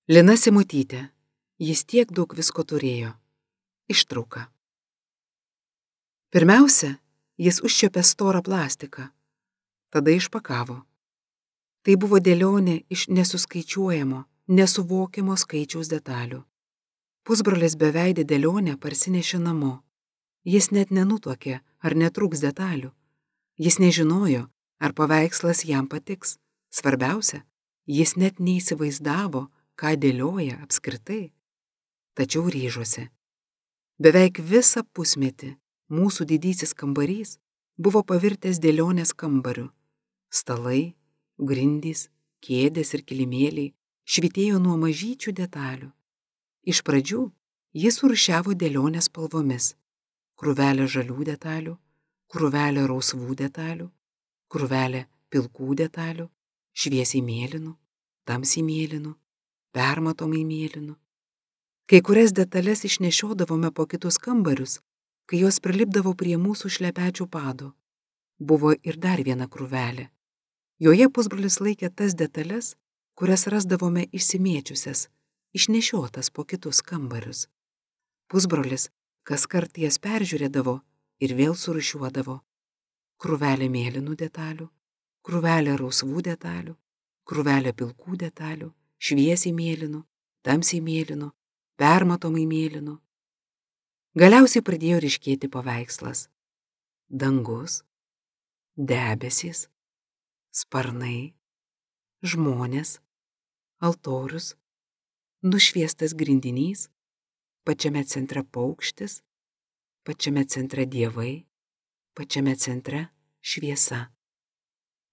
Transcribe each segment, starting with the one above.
Lina Simutytė. Jis tiek daug visko turėjo. Ištrauka. Pirmiausia, jis užčiuopė storą plastiką. Tada išpakavo. Tai buvo dėlionė iš nesuskaičiuojamo, nesuvokiamo skaičiaus detalių. Pusbrolis beveidį dėlionę parsinešė namo. Jis net nenutuokė, ar netrūks detalių. Jis nežinojo, ar paveikslas jam patiks. Svarbiausia, jis net neįsivaizdavo, ką dėlioja apskritai. Tačiau ryžosi. Beveik visą pusmetį mūsų didysis kambarys buvo pavirtęs dėlionės kambariu. Stalai, grindys, kėdės ir kilimėliai švytėjo nuo mažyčių detalių. Iš pradžių jis surūšiavo dėlionės spalvomis. Krūvelė žalių detalių, krūvelė rausvų detalių, krūvelė pilkų detalių, šviesiai mėlynų, tamsiai mėlynų, permatomai mėlynų. Kai kurias detalės išnešiodavome po kitus kambarius, kai jos prilipdavo prie mūsų šlepečių padų. Buvo ir dar viena krūvelė. Joje pusbrolis laikė tas detalės, kurias rasdavome išsimėčiusias, išnešiotas po kitus kambarius. Pusbrolis kaskart jas peržiūrėdavo ir vėl surūšiuodavo. Krūvelė mėlynų detalių, krūvelė rausvų detalių, krūvelė pilkų detalių, šviesiai mėlynų, tamsiai mėlynų, permatomai mėlynų. Galiausiai pradėjo ryškėti paveikslas. Dangus, debesys, sparnai, žmonės, altorius, nušviestas grindinys, pačiame centre paukštis, pačiame centre dievai, pačiame centre šviesa.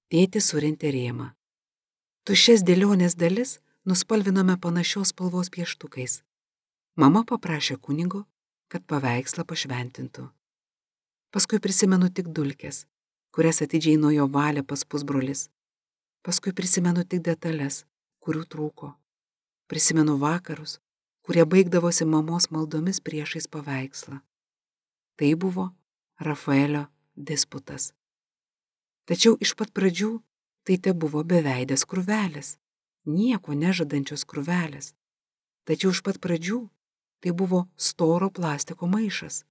Tėtis surentė rėmą. Tuščias dėlionės dalis nuspalvinome panašios spalvos pieštukais. Mama paprašė kunigo, kad paveikslą pašventintų. Paskui prisimenu tik dulkes, kurias atidžiai nuo jo valė pas pusbrolis. Paskui prisimenu tik detalės, kurių trūko. Prisimenu vakarus, kurie baigdavosi mamos maldomis priešais paveikslą. Tai buvo Rafaelio disputas. Tačiau iš pat pradžių tai tebuvo beveidės krūvelės, nieko nežadančios krūvelės. Tačiau iš pat pradžių tai buvo storo plastiko maišas,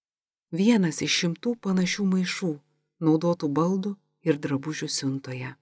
vienas iš 100 panašių maišų, naudotų baldų ir drabužių siuntoje.